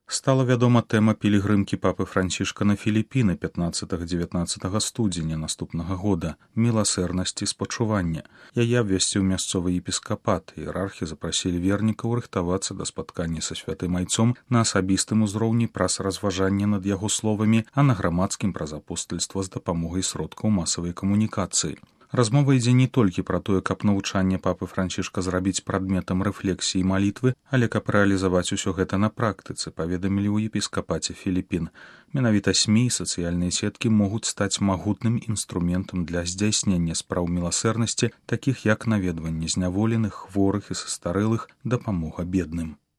Стала вядома тэма пілігрымкі папы Францішка на Філіпіны 15-19 студзеня наступнага года міласэрнасць і спачування. Яе абвясціў мясцовы епіскапат. Іерархі запрасілі вернікаў рыхтавацца да спаткання са святым айцом на асабістым узроўні праз разважанне над яго словамі, а на грамадскім праз апостальства з дапамогай сродкаў масавай камунікацыі. Размова ідзе не толькі пра тое, каб навучанне папы Францішка зрабіць прадметам рэфлексіі і малітвы, але каб рэалізаваць усё гэта на практыцы, паведамілі ў епіскапаце Філіпін. Менавіта СМІ і сацыяльныя сеткі могуць стаць магутным інструментам для здзяйснення спраў міласэрнасці, такіх як наведванне зняволеных, хворых і састарэлых, дапамога бедным.